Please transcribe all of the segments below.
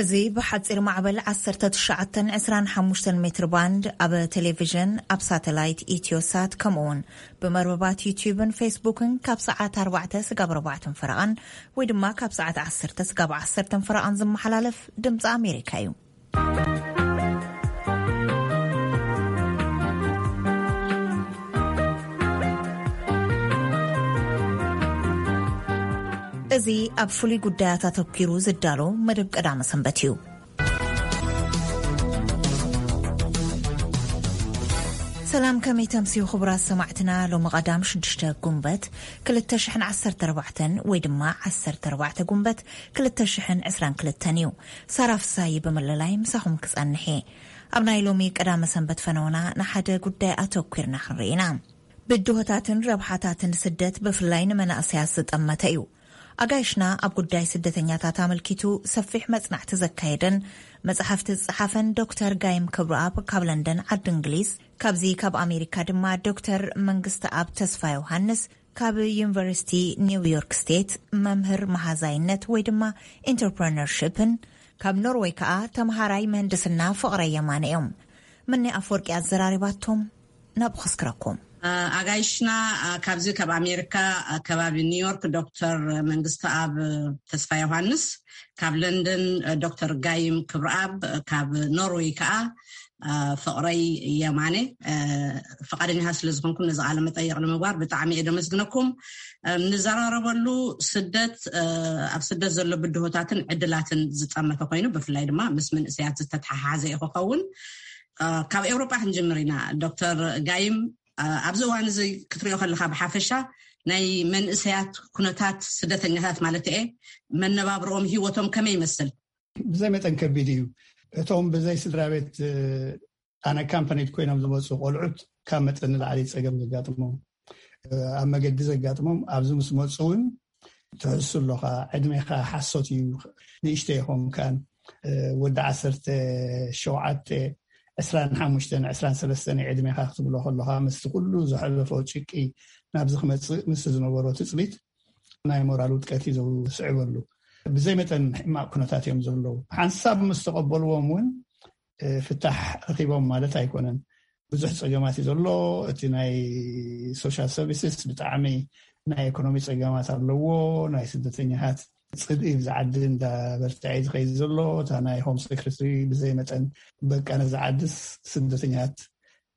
እዚ ብሓጺር ማዕበል ዓሰርተ ትሽዓተ ዕስራን ሓሙሽተን ሜትር ባንድ፣ ኣብ ቴሌቪዥን፣ ኣብ ሳተላይት ኢትዮሳት፣ ከምኡ እውን ብመርበባት ዩቲዩብን ፌስቡክን ካብ ሰዓት ኣርባዕተ ስጋብ ኣርባዕተን ፈረቓን ወይ ድማ ካብ ሰዓት ዓሰርተ ስጋብ ዓሰርተን ፈረቓን ዝመሓላለፍ ድምፂ ኣሜሪካ እዩ። እዚ ኣብ ፍሉይ ጉዳያት ኣተኲሩ ዝዳሎ መደብ ቀዳመ ሰንበት እዩ። ሰላም፣ ከመይ ተምስዩ ክቡራት ሰማዕትና? ሎሚ ቀዳም ሽዱሽተ ጉንበት ክልተ ሽሕን ዓሰርተ ኣርባዕተን ወይ ድማ ዓሰርተ ኣርባዕተ ጉንበት ክልተ ሽሕን ዕስራን ክልተን እዩ። ሳራ ፍሳይ ብምልላይ ምሳኹም ክጸንሕ እየ። ኣብ ናይ ሎሚ ቀዳመ ሰንበት ፈነውና ንሓደ ጉዳይ ኣተኲርና ክንርኢ ኢና። ብድሆታትን ረብሓታትን ስደት ብፍላይ ንመናእሰያት ዝጠመተ እዩ። ኣጋይሽና ኣብ ጉዳይ ስደተኛታት ኣመልኪቱ ሰፊሕ መጽናዕቲ ዘካየደን መጽሓፍቲ ዝጸሓፈን ዶክተር ጋይም ክብረኣብ ካብ ለንደን ዓዲ እንግሊዝ፣ ካብዚ ካብ ኣሜሪካ ድማ ዶክተር መንግስቲ ኣብ ተስፋ ዮሃንስ ካብ ዩኒቨርሲቲ ኒውዮርክ ስቴት፣ መምህር መሃዛይነት ወይ ድማ ኢንተርፕረነርሽፕን ካብ ኖርወይ ከኣ ተምሃራይ ምህንድስና ፍቕረ የማነ እዮም። ምኒ ኣፍወርቂ ኣዘራሪባቶም ናብ ኸስክረኩም። ኣጋይሽና፣ ካብዚ ካብ ኣሜሪካ፣ ከባቢ ኒውዮርክ ዶክተር መንግስቲ ኣብ ተስፋ ዮሃንስ፣ ካብ ለንደን ዶክተር ጋይም ክብረኣብ፣ ካብ ኖርወይ ከዓ ፍቕረይ የማነ። ፈቃደኛታት ስለ ዝኾንኩም ነዚ ቃለ መጠይቕ ንምግባር ብጣዕሚ እየ ደመስግነኩም። ንዘራረበሉ ስደት፣ ኣብ ስደት ዘሎ ብድሆታትን ዕድላትን ዝጠመተ ኮይኑ፣ ብፍላይ ድማ ምስ መንእሰያት ዝተተሓሓዘ እዩ ክኸውን። ካብ ኤውሮጳ ክንጅምር ኢና። ዶክተር ጋይም፣ ኣብዚ እዋን እዚ ክትሪኦ ከለኻ ብሓፈሻ ናይ መንእሰያት ኩነታት፣ ስደተኛታት ማለት እየ፣ መነባብሮኦም፣ ህይወቶም ከመይ ይመስል? ብዘይ መጠን ከቢድ እዩ። እቶም ብዘይ ስድራ ቤት ኣን ኣካምፓኒድ ኮይኖም ዝመፁ ቆልዑት ካብ መጠን ንላዕሊ ፀገም ዘጋጥሞም፣ ኣብ መገዲ ዘጋጥሞም፣ ኣብዚ ምስ መፁ እውን ትሕሱ ኣለኻ። ዕድሜኻ ሓሶት እዩ። ንእሽተይ ይኾንካን፣ ወዲ ዓሰርተ ሸውዓተ፣ ዕስራን ሓሙሽተን፣ ዕስራን ሰለስተን ዕድሜኻ ክትብሎ ከለኻ፣ ምስቲ ኩሉ ዘሕለፎ ጭቂ ናብዚ ክመፅእ፣ ምስ ዝነበሮ ትፅቢት ናይ ሞራል ውድቀት እዩ ዘስዕበሉ። ብዘይ መጠን ሕማቕ ኩነታት እዮም ዘለዉ። ሓንሳብ ምስ ተቐበልዎም እውን ፍታሕ ረኺቦም ማለት ኣይኮነን። ብዙሕ ጸገማት እዩ ዘሎ። እቲ ናይ ሶሻል ሰርቪስስ ብጣዕሚ ናይ ኢኮኖሚ ጸገማት ኣለዎ። ናይ ስደተኛታት ጽልኢ ብዚ ዓዲ እንዳበርትዐ እዩ ዝኸይድ ዘሎ። እታ ናይ ሆም ሴክሬታሪ ብዘይ መጠን፣ በቃ፣ ነዚ ዓድስ ስደተኛታት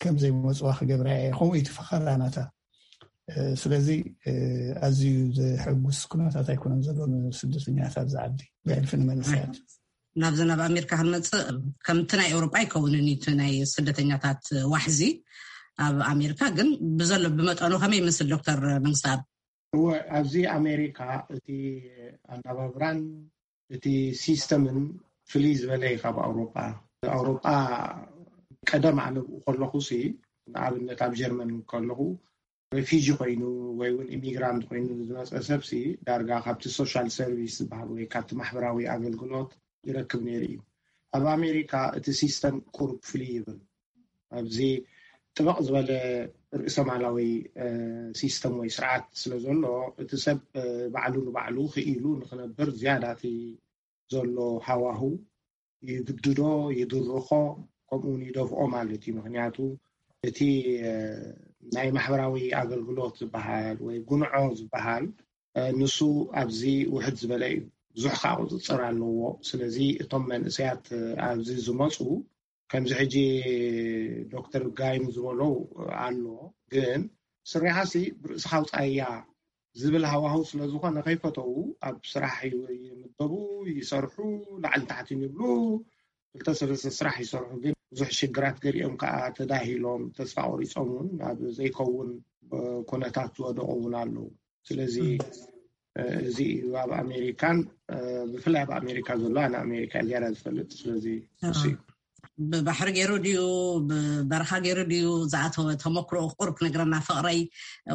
ከም ዘይመጽዋ ክገብራ እየ፣ ከምኡ እዩ እቲ ፈኸራ ናታ። ስለዚ ኣዝዩ ዘሐጉስ ኩነታት ኣይኮነን ዘሎ ንስደተኛታት ኣብዚ ዓዲ፣ ብሕልፊ ንመንእሰያት። ናብዚ ናብ ኣሜሪካ ክንመፅእ ከምቲ ናይ ኤውሮጳ ኣይከውንን እዩ እቲ ናይ ስደተኛታት ዋሕዚ ኣብ ኣሜሪካ። ግን ብዘሎ ብመጠኑ ከመይ ይመስል ዶክተር መንግስተኣብ? እወ፣ ኣብዚ ኣሜሪካ እቲ ኣነባብራን እቲ ሲስተምን ፍልይ ዝበለ እዩ ካብ ኣውሮጳ። ኣውሮጳ ቀደም ኣነ ብኡ ከለኹ ሲ፣ ንኣብነት ኣብ ጀርመን ከለኹ ሬፊጂ ኮይኑ ወይ እውን ኢሚግራንት ኮይኑ ዝመፀ ሰብ ሲ ዳርጋ ካብቲ ሶሻል ሰርቪስ ዝበሃል ወይ ካብቲ ማሕበራዊ ኣገልግሎት ይረክብ ነይሩ እዩ። ኣብ ኣሜሪካ እቲ ሲስተም ቁሩብ ፍልይ ይብል። ኣብዚ ጥበቕ ዝበለ ርእሰማላዊ ሲስተም ወይ ስርዓት ስለ ዘሎ እቲ ሰብ ባዕሉ ንባዕሉ ክኢሉ ንክነብር ዝያዳ እቲ ዘሎ ሃዋሁ ይግድዶ፣ ይድርኾ፣ ከምኡ እውን ይደፍኦ ማለት እዩ። ምክንያቱ እቲ ናይ ማሕበራዊ ኣገልግሎት ዝበሃል ወይ ጉንዖ ዝበሃል ንሱ ኣብዚ ውሕድ ዝበለ እዩ። ብዙሕ ከዓ ቁፅፅር ኣለዎ። ስለዚ እቶም መንእሰያት ኣብዚ ዝመፁ ከምዚ ሕጂ ዶክተር ጋይም ዝበሎ ኣሎ፣ ግን ስሪሓሲ ብርእስኻ ኣውፃእያ ዝብል ሃዋህው ስለ ዝኾነ ከይፈተዉ ኣብ ስራሕ ይምደቡ፣ ይሰርሑ፣ ላዕሊ ታሕትን ይብሉ፣ ክልተ ሰለስተ ስራሕ ይሰርሑ። ግን ብዙሕ ሽግራት ገሊኦም ከዓ ተዳሂሎም ተስፋ ቆሪፆም እውን ኣብ ዘይከውን ኩነታት ዝወደቑ እውን ኣለዉ። ስለዚ እዚ እዩ ኣብ ኣሜሪካን ብፍላይ ኣብ ኣሜሪካ ዘሎ፣ ኣነ ኣሜሪካ ዝያዳ ዝፈልጥ። ስለዚ እሱ እዩ። ብባሕሪ ገይሩ ድዩ ብበረኻ ገይሩ ድዩ ዝኣተወ ተመክሮ ቁሩብ ክነግረና ፍቕረይ።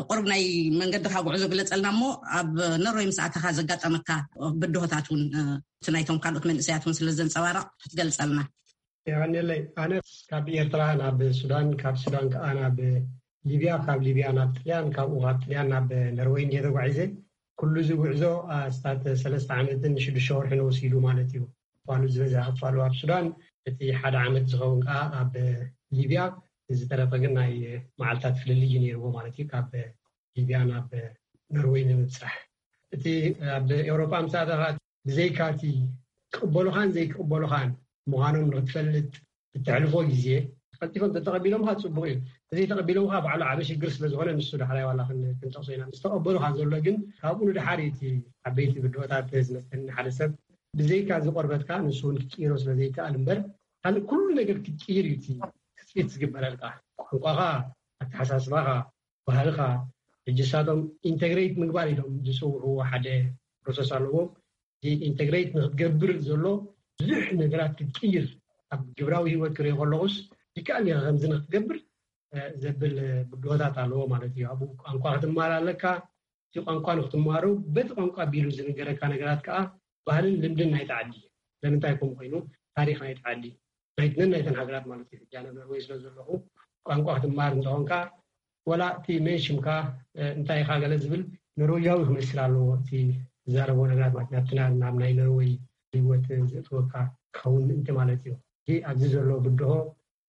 ቁሩብ ናይ መንገድኻ ጉዕዞ ግለፀልና እሞ ኣብ ኖርወይ ምስ ኣተኻ ዘጋጠመካ ብድሆታት እውን እቲ ናይቶም ካልኦት መንእሰያት እውን ስለ ዘንፀባረቕ ክትገልፀልና። የቐንየለይ። ኣነ ካብ ኤርትራ ናብ ሱዳን፣ ካብ ሱዳን ከዓ ናብ ሊብያ፣ ካብ ሊብያ ናብ ጥልያን፣ ካብኡ ካብ ጥልያን ናብ ኖርወይ እንድየ ተጓዒዘ። ኩሉ እዚ ጉዕዞ ኣስታት ሰለስተ ዓመትን ሽዱሽተ ወርሕን ወሲዱ ማለት እዩ። ክፋሉ ዝበዝሐ ክፋሉ ኣብ ሱዳን፣ እቲ ሓደ ዓመት ዝኸውን ከዓ ኣብ ሊብያ፣ ዝተረፈ ግን ናይ መዓልታት ፍልልይ እዩ ነይርዎ ማለት እዩ። ካብ ሊብያ ናብ ኖርወይ ንምብፃሕ፣ እቲ ኣብ ኤውሮጳ ምስ ኣተኻ፣ ብዘይካ እቲ ክቕበሉኻን ዘይክቕበሉኻን ምዃኖም ንክትፈልጥ እተሕልፎ ግዜ፣ ቀልጢፎም ተተቐቢሎምካ ጽቡቕ እዩ። እንተዘይተቐቢሎምካ ባዕሉ ዓቢ ሽግር ስለ ዝኾነ፣ ንሱ ዳሕራይ ዋላ ክን-፣ ክንጠቕሶ ኢና። ምስ ተቐበሉኻ ዘሎ ግን፣ ካብኡ ንደሓር እዩ እቲ ዓበይቲ ብድሆታት ዝመስለኒ። ሓደ ሰብ ብዘይካ እዚ ቆርበትካ ንሱ እውን ክትቅይሮ ስለ ዘይከኣል እምበር፣ ካልእ ኩሉ ነገር ክትቅይር እዩ እቲ ትጽቢት ዝግበረልካ። ቋንቋኻ፣ ኣተሓሳስባኻ፣ ባህልኻ። ሕጂ ንሳቶም ኢንተግሬት ምግባር ኢሎም ዝጽውዕዎ ሓደ ፕሮሰስ ኣለዎም። እዚ ኢንተግሬት ንክትገብር ዘሎ ብዙሕ ነገራት ክትቅይር፣ ኣብ ግብራዊ ህይወት ክሪኦ ከለኹስ፣ ይከኣል እዩ ከምዚ ንክትገብር፣ እ፣ ዘብል ብድሆታት ኣለዎ ማለት እዩ። ኣብኡ ቋንቋ ክትማር ኣለካ። እቲ ቋንቋ ንክትማሃሮ፣ በቲ ቋንቋ ኣቢሉ ዝንገረካ ነገራት ከዓ ባህልን ልምድን ናይቲ ዓዲ። ስለምንታይ ከምኡ ኮይኑ? ታሪኽ ናይቲ ዓዲ፣ ናይትነን ናይተን ሃገራት ማለት እዩ። ሕጂ ኣነ ኖርወይ ስለ ዘለኹ፣ ቋንቋ ክትማር እንተኾንካ፣ ወላ እቲ ሜንሽምካ፣ እ፣ እንታይ ኢኻ ገለ ዝብል፣ ኖርወያዊ ክመስል ኣለዎ እቲ ዝዛረቦ ነገራት ማለት፣ ናብቲ ና-፣ ናብ ናይ ኖርወይ ህይወት ዘእትወካ ክኸውን ምእንቲ ማለት እዩ። እዚ ኣብዚ ዘሎ ብድሆ፣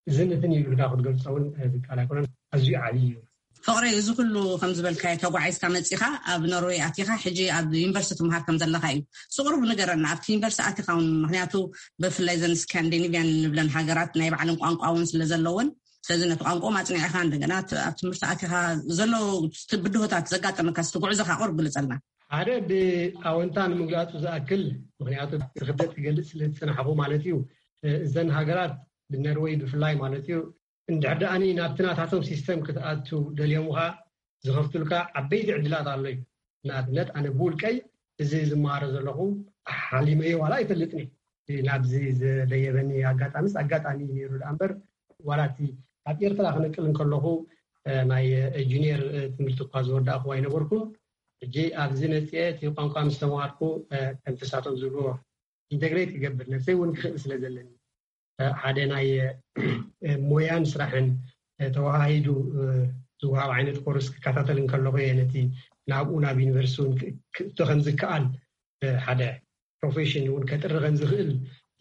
እዚ ነትን እዩ ኢልካ ክትገልጾ እውን፣ እ፣ ዝከኣል ኣይኮነን። ኣዝዩ ዓብዪ እዩ። ፍቕረይ፣ እዚ ኩሉ ከም ዝበልካዮ ተጓዒዝካ መጺኻ፣ ኣብ ኖርወይ ኣቲኻ፣ ሕጂ ኣብ ዩኒቨርሲቲ ትምሃር ከም ዘለኻ እዩ። ስቑሩብ ንገረና፣ ኣብቲ ዩኒቨርሲቲ ኣቲኻ እውን፣ ምኽንያቱ ብፍላይ ዘን ስካንዲኒቭያን ንብለን ሃገራት ናይ ባዕለን ቋንቋ እውን ስለ ዘለወን፣ ስለዚ ነቲ ቋንቋ ማጽኒዕኻ፣ እንደገና ት-፣ ኣብ ትምህርቲ ኣቲኻ ዘሎ ብድሆታት ዘጋጠመካ፣ እስቲ ጉዕዞኻ ቁሩብ ግለጸልና። ሓደ ብኣወንታ ንምግላጹ ዝኣክል፣ ምኽንያቱ እቲ ክብደት ክገልጽ ስለ ዝጸናሕኩ ማለት እዩ። እ፣ እዘን ሃገራት ብነርወይ ብፍላይ ማለት እዩ፣ እንድሕር ደኣኒ ናብቲ ናታቶም ሲስተም ክትኣቱ ደልዮምኻ ዝኸፍቱልካ ዓበይቲ ዕድላት ኣሎ እዩ። ንኣብነት፣ ኣነ ብውልቀይ እዚ ዝመሃሮ ዘለኹ ሓሊመዮ ዋላ ኣይፈልጥን እዩ። ናብዚ ዘደየበኒ ኣጋጣሚስ ኣጋጣሚ እዩ ነይሩ ደኣ እምበር፣ ዋላ እቲ ኣብ ኤርትራ ክነቅል እንከለኹ፣ እ፣ ናይ፣ እ፣ ጁኒየር፣ እ፣ ትምህርቲ እኳ ዝወዳእኹ ኣይነበርኩን። ሕጂ ኣብዚ መፅኤ እቲ ቋንቋ ምስ ተምሃርኩ፣ እ፣ ከምቲ ንሳቶም ዝብልዎ ኢንተግሬት ክገብር ነብሰይ እውን ክኽእል ስለ ዘለኒ፣ እ፣ ሓደ ናይ፣ እ፣ ሞያን ስራሕን፣ እ፣ ተወሃሂዱ፣ እ፣ ዝወሃብ ዓይነት ኮርስ ክከታተል እንከለኹ እየ ነቲ ናብኡ ናብ ዩኒቨርሲቲ እውን ክ-፣ ክእቶ ከም ዝከኣል፣ እ፣ ሓደ ፕሮፌሽን እውን ከጥሪ ከም ዝኽእል፣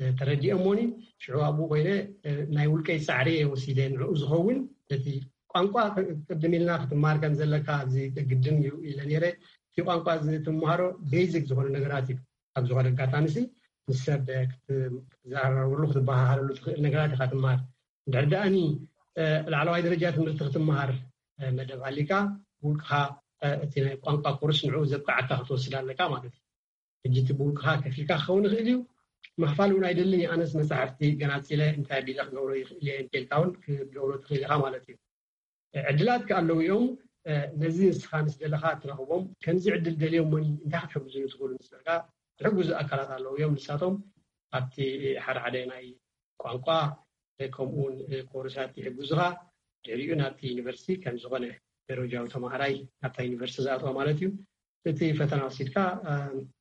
እ፣ ተረዲኤ እሞኒ፣ ሽዑ ኣብኡ ኮይነ፣ እ፣ ናይ ውልቀይ ጻዕሪ እየ ወሲደ። ንዕኡ ዝኸውን ነቲ ቋንቋ ቅ-፣ ቅድም ኢልና ክትመሃር ከም ዘለካ ኣብዚ ግድን እዩ ኢለ ነይረ። እቲ ቋንቋ እዚ ትመሃሮ ቤዚክ ዝኾነ ነገራት እዩ። ኣብ ዝኾነ ኣጋጣሚ ሲ ምስ ሰብ ክትዘራረበሉ ክትበሃሃለሉ ትኽእል ነገራት ኢኻ ትመሃር። እንድሕር ደኣኒ፣ እ፣ ላዕለዋይ ደረጃ ትምህርቲ ክትመሃር፣ እ፣ መደብ ሃሊካ፣ ብውልቅኻ፣ እ፣ እቲ ናይ ቋንቋ ኮርስ ንዕኡ ዘብቅዓካ ክትወስድ ኣለካ ማለት እዩ። ሕጂ እቲ ብውልቅኻ ከፊልካ ክኸውን ይኽእል እዩ። ምኽፋል እውን ኣይደልን እዩ። ኣነስ መጻሕፍቲ ገናጺለ እንታይ ኣቢለ ክገብሮ ይኽእል እየ እንተልካ እውን ክትገብሮ ትኽእል ኢኻ ማለት እዩ። ዕድላት ከ ኣለዉ እዮም። እ፣ ነዚ ንስኻ ምስ ደለኻ ትረኽቦም። ከምዚ ዕድል ደልዮሞኒ እንታይ ክትሕግዙኒ ትኽእሉ ምስ በልካ፣ ዝሕግዙ ኣካላት ኣለዉ እዮም። ንሳቶም ኣብቲ ሓደ ሓደ ናይ ቋንቋ፣ እ፣ ከምኡ እውን፣ እ፣ ኮርሳት ይሕግዙኻ። ድሕሪኡ ናብቲ ዩኒቨርሲቲ ከም ዝኾነ ደረጃዊ ተማሃራይ ናብታ ዩኒቨርሲቲ ዝኣትዋ ማለት እዩ። እቲ ፈተና ወሲድካ፣ እ፣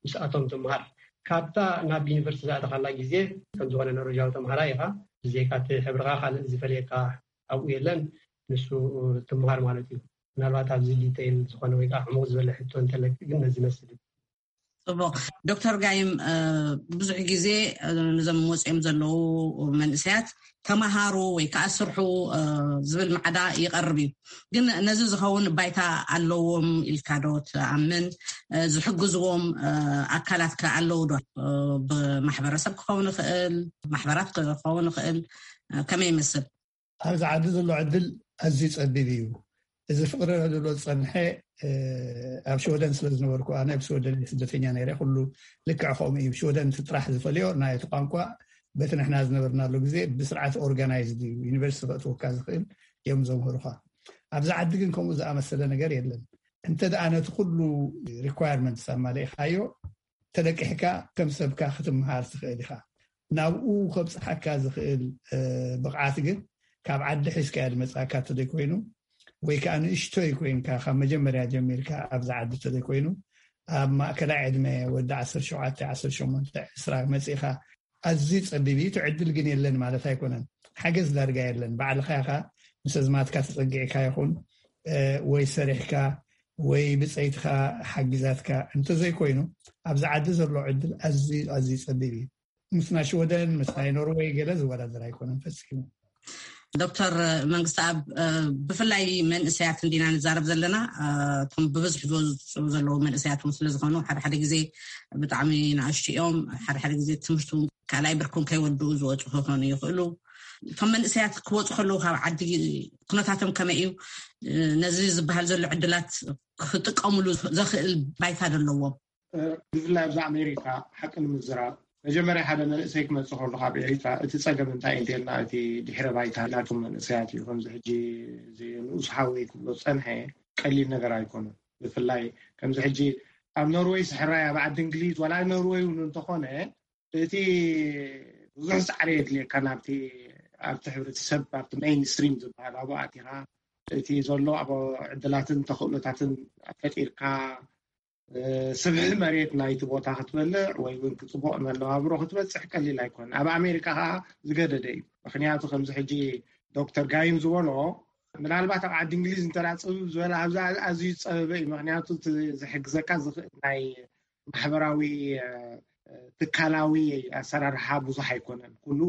ምስኣቶም ትምሃር። ካብታ ናብ ዩኒቨርሲቲ ዝኣተኻላ ግዜ ከም ዝኾነ ኖርወጃዊ ተምሃራይ ኢኻ። ብዘይካ እቲ ሕብርኻ ካልእ ዝፈልየካ ኣብኡ የለን። ንሱ ትምሃር ማለት እዩ። ምናልባት ኣብዚ ዲቴይል ዝኾነ ወይ ከዓ ዕሙቕ ዝበለ ሕቶ እንተለኪ ግን ነዚ ይመስል እዩ። ጽቡቕ። ዶክተር ጋይም፣ እ፣ ብዙሕ ግዜ፣ እ፣ ነዞም ወፂኦም ዘለዉ መንእሰያት ተምሃሩ ወይ ከዓ ስርሑ፣ እ፣ ዝብል ማዕዳ ይቐርብ እዩ። ግን ነዚ ዝኸውን ባይታ ኣለዎም ኢልካ ዶ ትኣምን? እ፣ ዝሕግዝዎም፣ እ፣ ኣካላት ከ ኣለዉ ዶ? እ፣ ብማሕበረሰብ ክኸውን ይኽእል፣ ማሕበራት ክኸውን ይኽእል፣ እ፣ ከመይ ይመስል? ኣብዚ ዓዲ ዘሎ ዕድል ኣዝዩ ጸቢብ እዩ። እዚ ፍቕሪ ዕድሎ ዝጸንሐ፣ እ፣ ኣብ ሽወደን ስለ ዝነበርኩ፣ ኣነ ኣብ ሽወደን እየ ስደተኛ ነይረ፣ ኩሉ ልክዕ ከምኡ እዩ። ሽወደን እቲ ጥራሕ ዝፈልዮ ናይ እቲ ቋንቋ፣ በቲ ንሕና ዝነበርናሉ ግዜ ብስርዓት ኦርጋናይዝድ እዩ። ዩኒቨርሲቲ ከእትወካ ዝኽእል እዮም ዘምህሩኻ። ኣብዚ ዓዲ ግን ከምኡ ዝኣመሰለ ነገር የለን። እንተ ደኣ ነቲ ኩሉ ሪኳየርመንትስ ኣማሊእኻዮ፣ ተለቂሕካ ከም ሰብካ ክትምሃር ትኽእል ኢኻ። ናብኡ ከብጽሓካ ዝኽእል፣ እ፣ ብቕዓት ግን ካብ ዓዲ ሒዝካዮ ዝመጽኣካ እንተዘይኮይኑ፣ ወይ ከኣ ንእሽቶይ ኮይንካ ካብ መጀመርያ ጀሚርካ ኣብዚ ዓዲ እንተዘይኮይኑ፣ ኣብ ማእከላይ ዕድመ ወዲ ዓሰርተ ሸውዓተ፣ ዓሰርተ ሸሞንተ፣ ዕስራ መጺእካ ኣዝዩ ጸቢብ እዩ። እቲ ዕድል ግን የለን ማለት ኣይኮነን። ሓገዝ ዳርጋ የለን። ባዕልኻ ኢኻ ምስ ኣዝማድካ ተጸጊዕካ ይኹን፣ እ፣ ወይ ሰሪሕካ ወይ ብጸይትኻ ሓጊዛትካ እንተዘይኮይኑ፣ ኣብዚ ዓዲ ዘሎ ዕድል ኣዝዩ፣ ኣዝዩ ጸቢብ እዩ። ምስ ናይ ሽወደን ምስ ናይ ኖርወይ ገለ ዝወዳደር ኣይኮነን ፈጺሙ። ዶክተር መንግስቲ ኣብ ብፍላይ መንእሰያት እንዲና ንዛረብ ዘለና። እቶም ብብዝሒ ዝወፁ ዘለዉ መንእሰያት እውን ስለዝኾኑ ሓደ ሓደ ግዜ ብጣዕሚ ንኣሽቱ እዮም። ሓደ ሓደ ግዜ ትምህርቲ ካልኣይ ብርኩም ከይወድኡ ዝወፁ ክኾኑ ይኽእሉ። እቶም መንእሰያት ክወፁ ከለዉ ካብ ዓዲ ኩነታቶም ከመይ እዩ? ነዚ ዝበሃል ዘሎ ዕድላት ክጥቀሙሉ ዘኽእል ባይታ ዘለዎም? ብፍላይ ኣብዚ ኣሜሪካ ሓቂ ንምዝራብ መጀመርያ ሓደ መንእሰይ ክመፅእ ከሎ ካብ ኤሪትራ እቲ ፀገም እንታይ እንተልና እቲ ድሕረ ባይታ ናይቶም መንእሰያት እዩ። ከምዚ ሕጂ እዚ ንኡስ ሓወይ ክብሎ ዝፀንሐ ቀሊል ነገር ኣይኮነን። ብፍላይ ከምዚ ሕጂ ኣብ ኖርወይ ስሕራይ ኣብ ዓዲ እንግሊዝ ዋላ ኖርወይ እውን እንተኾነ እቲ ብዙሕ ፃዕሪ የድልየካ ናብቲ ኣብቲ ሕብረተሰብ ኣብቲ ሜይንስትሪም ዝበሃል ኣብኡ ኣቲኻ እቲ ዘሎ ኣብ ዕድላትን ተኽእሎታትን ፈጢርካ ስብሒ መሬት ናይቲ ቦታ ክትበልዕ ወይ እውን ክፅቡቕ መነባብሮ ክትበፅሕ ቀሊል ኣይኮን። ኣብ ኣሜሪካ ከዓ ዝገደደ እዩ። ምክንያቱ ከምዚ ሕጂ ዶክተር ጋይም ዝበሎ ምናልባት ኣብ ዓዲ እንግሊዝ እንተ ፅብብ ዝበለ ኣብዚ ኣዝዩ ዝፀበበ እዩ። ምክንያቱ ዝሕግዘካ ዝኽእል ናይ ማሕበራዊ ትካላዊ ኣሰራርሓ ብዙሕ ኣይኮነን። ኩሉ